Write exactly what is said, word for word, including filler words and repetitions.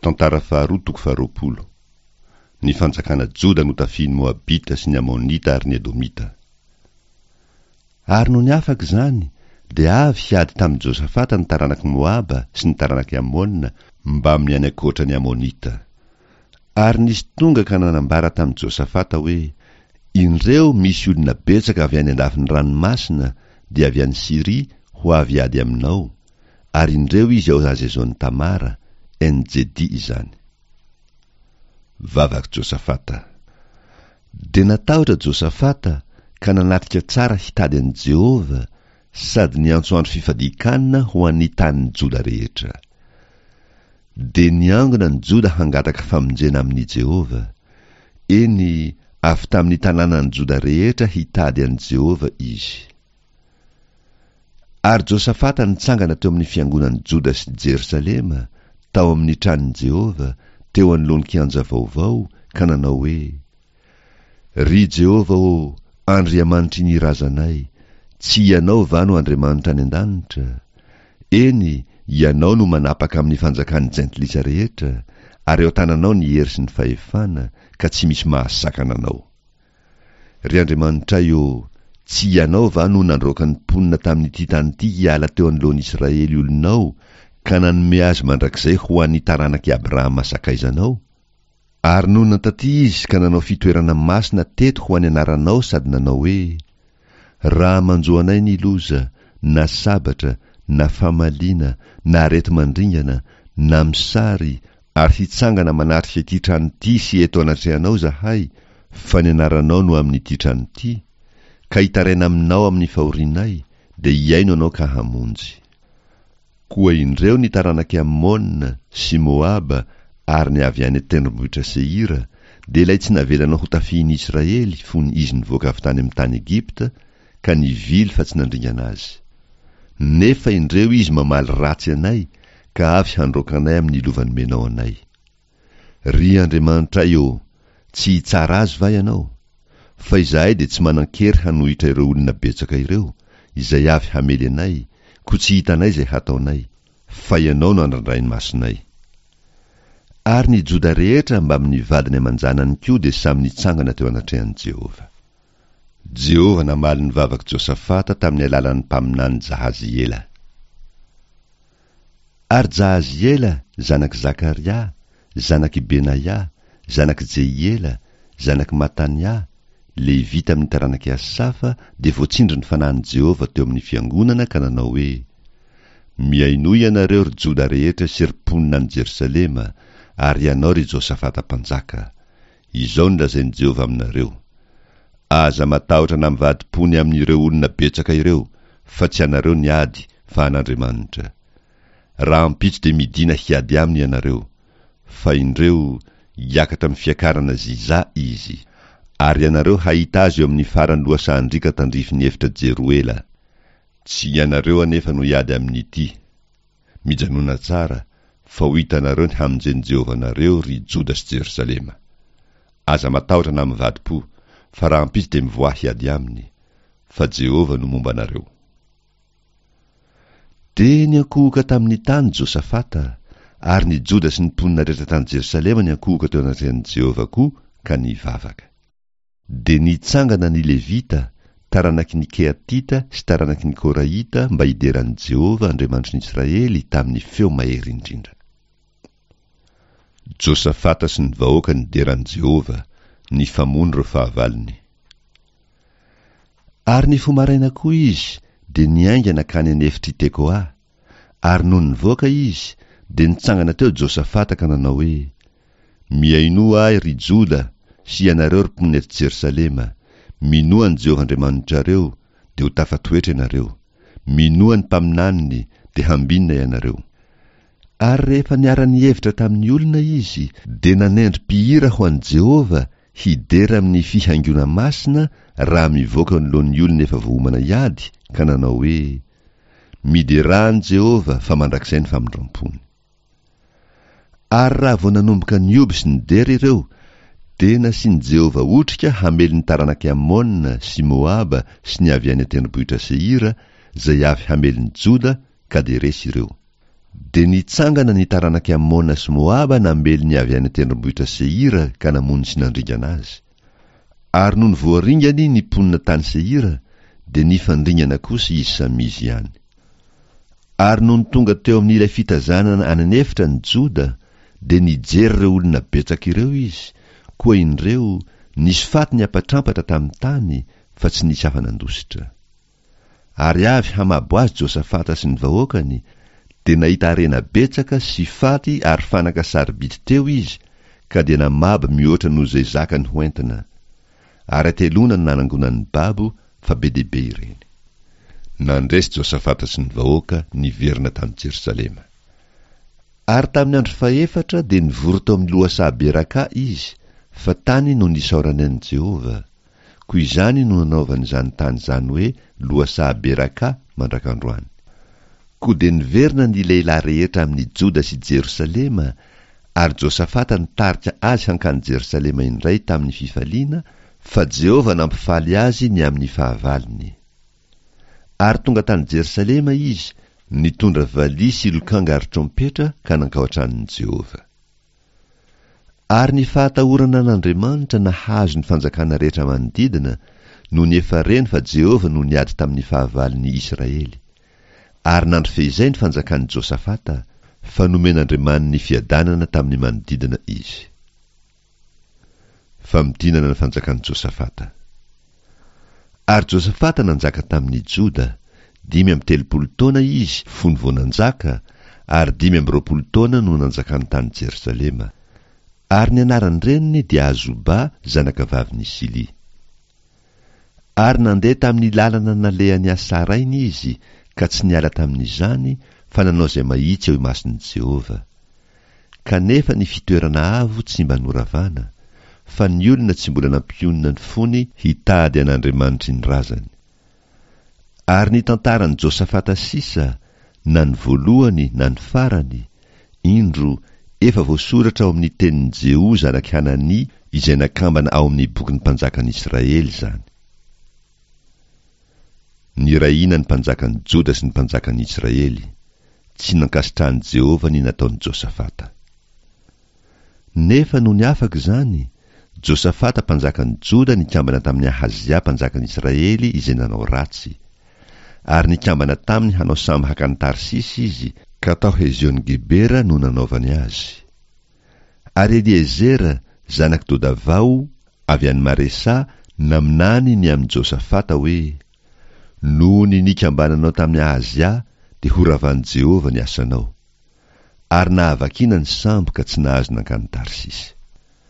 Tantara faharoa toko faharoapolo. Ny fanjakana Joda notafihin'ny Moabita sy ny Amonita ary ny Edomita. Ary nony afaka izany, dia avy hiady tamin'i Josafata ny taranak'i Moaba sy ny taranak'i Amona mbamin'ny any ankoatra ny Amonita. Ary nisy tonga ka nanambara tamin'i Josafata hoe, Indreo misy olona betsaka avy any andafin'ny ranomasina, dia avy any Syria, ho avy hiady aminao, ary indreo izy ao Hazezon-Tamara, En-Jedi izany. Vavak'i Josafata. Dia natahotra Josafata ka nanatrika tsara hitady an'i Jehovah, sady niantso andro fifadian-kanina ho an'ny tanin'i Joda rehetra. Dia niangona ny Joda hangataka famonjena amin'i Jehovah. Eny, avy tamin'ny tanànan'i Joda rehetra hitady an'i Jehovah izy. Ary Josafata nitsangana teo amin'ny fiangonan'i Joda sy Jerosalema, tao amin'ny tranon'i Jehovah, teo anoloan'ny kianja vaovao, ka nanao hoe, Ry Jehovah ô, Andriamanitry ny razanay, tsy Ianao va no Andriamanitra any an-danitra? Eny, Ianao no manapaka amin'ny fanjakan'ny jentilisa rehetra, ary eo an-tananao ny hery sy ny fahefana, ka tsy misy mahasakana anao. Ry Andriamanitray ô, tsy Ianao va no nandroaka ny mponina tamin'ity tany ity hiala teo anoloan'Israely olonao, ka nanome azy mandrakizay ho an'ny taranak'i Abrahama sakaizanao? Ary nonina taty izy ka nanao fitoerana masina teto ho an'ny anaranao sady nanao hoe, Raha manjo anay ny loza, na sabatra, na famaliana, na areti-mandringana, na mosary, ary hitsangana manatrika ity trano ity sy eto anatrehanao izahay, fa ny anaranao no amin'ity trano ity, ka hitaraina aminao amin'ny fahorianay, dia hihaino anao ka hamonjy. Koa indreo ny taranak'i Amona sy Moaba ary ny avy any an-tendrombohitra Seira, dia ilay tsy navelanao hotafihin'i Israely fony izy nivoaka avy tany amin'ny tany Egypta, ka nivily fa tsy nandringana azy. Nefa indreo izy mamaly ratsy anay, ka avy handroaka anay amin'ny lova nomenao anay. Ry Andriamanitray ô, tsy hitsara azy va Ianao? Fa izahay dia tsy manan-kery hanohitra ireo olona betsaka ireo, izay avy hamely anay, koa tsy hitanay izay hataonay, fa Ianao no andrandrain'ny masonay. Ary ny Joda rehetra mbamin'ny vadiny aman-janany koa dia samy nitsangana teo anatrehan'i Jehovah. Jehovah namaly ny vavak'i Josafata tamin'ny alalan'ny mpaminany Jahaziela. Ary Jahaziela, zanak'i Zakaria, zanak'i Benaia, zanak'i Jehiela, zanak'i Matania, Levita amin'ny taranak'i Asafa, dia voatsindrin'ny fanahin'i Jehovah teo amin'ny fiangonana ka nanao hoe, Mihainoa ianareo ry Joda rehetra sy ry mponina any Jerosalema, ary ianao ry Josafata mpanjaka. Izao no lazain'i Jehovah aminareo, Aza matahotra na mivadi-po ny amin'ireo olona betsaka ireo, fa tsy anareo ny ady, fa an'Andriamanitra. Rahampitso dia midina hiady aminy ianareo. Fa indreo, hiakatra amin'ny fiakarana Ziza izy. Ary ianareo hahita azy eo amin'ny faran'ny lohasahan-driaka tandrifin'ny efitra Jeroela. Tsy ianareo anefa no hiady amin'ity. Mijanòna tsara, fa ho hitanareo ny hamonjen'i Jehovah anareo, ry Joda sy Jerosalema. Aza matahotra na mivadi-po, fa rahampitso dia mivoaha hiady aminy, fa Jehovah no momba anareo. Dia niankohoka tamin'ny tany Josafata, ary ny Joda sy ny mponina rehetra tany Jerosalema niankohoka teo anatrehan'i Jehovah koa ka nivavaka. Dia nitsangana ny Levita, taranaky ny Kehatita sy taranaky ny Korahita mba hidera an'i Jehovah Andriamanitry ny Israely tamin'ny feo mahery indrindra. Josafata sy ny vahoaka nidera an'i Jehovah, nifamono ireo fahavalony. Ary nifoha maraina koa izy, dia niainga nankany an'efitr'i Tekoa. Ary nony nivoaka izy, dia nitsangana teo Josafata ka nanao hoe, Mihainoa ahy, ry Joda, sy ianareo ry mponina eto Jerosalema, minoa an'i Jehovah Andriamanitrareo, dia ho tafatoetra ianareo. Minoa ny mpaminaniny, dia hambinina ianareo. Ary rehefa niara-nihevitra tamin'ny olona izy, dia nanendry mpihira ho an'i Jehovah hidera amin'ny fihaingoana masina raha mivoaka eo anoloan'ny olona efa voaomana hiady, ka nanao hoe, Miderà an'i Jehovah, fa mandrakizay ny famindram-pony. Ary raha vao nanomboka nihoby sy nidera ireo, dia nasian'i Jehovah otrika hamely ny taranak'i Amona sy Moaba sy ny avy any an-tendrombohitra Seira, izay avy hamely ny Joda, ka dia resy ireo. Dia nitsangana ny taranak'i Amona sy Moaba namely ny avy any an-tendrombohitra Seira ka namono sy nandringana azy. Ary nony voaringany ny mponina tany Seira, dia nifandringana kosa izy samy izy ihany. Ary nony tonga teo amin'ilay fitazanana any an'efitra ny Joda, dia nijery ireo olona betsaka ireo izy, koa indreo, nisy faty niampatrampatra tamin'ny tany, fa tsy nisy afa-nandositra. Ary avy hamabo azy Josafata sy ny vahoakany, dia nahita harena betsaka sy faty ary fanaka sarobidy teo izy, ka dia namabo mihoatra noho izay zakany hoentina. Ary hateloana no nanangonany babo, fa be dia be ireny. Nandresy Josafata sy ny vahoaka niverina tany Jerosalema. Ary tamin'ny andro fahefatra dia nivory tao amin'ny lohasaha Beraka izy, fa tany no nisaorany an'i Jehovah. Koa izany no nanaovany izany tany izany hoe lohasaha Beraka mandrak'androany. Koa dia niverina ny lehilahy rehetra amin'i Joda sy Jerosalema, ary Josafata nitarika azy hankany Jerosalema indray tamin'ny fifaliana, fa Jehovah nampifaly azy ny amin'ny fahavalony. Ary tonga tany Jerosalema izy, nitondra valiha sy lokanga ary trompetra ka nankao an-tranon'i Jehovah. Ary ny fahatahorana an'Andriamanitra nahazo ny fanjakana rehetra manodidina, nony efa reny fa Jehovah no niady tamin'ny fahavalon'ny Israely. Ary nandry fehizay ny fanjakan'i Josafata, fa nomen'Andriamaniny fiadanana tamin'ny manodidina izy. Famintinana ny fanjakan'i Josafata. Ary Josafata nanjaka tamin'ny Joda, dimy amby telopolo taona izy fony vao nanjaka, ary dimy amby roapolo taona no nanjakany tany Jerosalema. Ary ny anaran-dreniny dia Azoba, zanakavavin'i Sily. Ary nandeha tamin'ny lalana nalehan'i Asa rainy izy, ka tsy niala tamin'izany, fa nanao izay mahitsy eo imason'i Jehovah. Kanefa ny fitoerana avo tsy mba noravana, fa ny olona tsy mbola nampionona ny fony hitady an'Andriamanitry ny razany. Ary ny tantaran'i Josafata sisa, na ny voalohany na ny farany, indro, efa voasoratra ao amin'ny tenin'i Jeho zanak'i Hanania izay nakambana ao amin'ny bokin'ny mpanjakan'Israely izany. Nirahina ny mpanjakan'i Joda sy ny mpanjakan'Israely. Tsy nankasitrahan'i Jehovah ny nataon'i Josafata. Nefa nony afaka izany, Josafata mpanjakan'i Joda nikambana tamin'i Ahazia mpanjakan'Israely izay nanao ratsy. Ary nikambana taminy hanao sambo hakany Tarsisy izy, ka tao Hezion-Gebera no nanaovany azy. Ary Eliezera, zanak'i Dodavao, avy any Maresa, naminany ny amin'i Josafata hoe: Noho ny nikambananao tamin'i Ahazia, dia horavan'i Jehovah ny asanao. Ary nahavakiana ny sambo ka tsy nahazo nankany Tarsisy.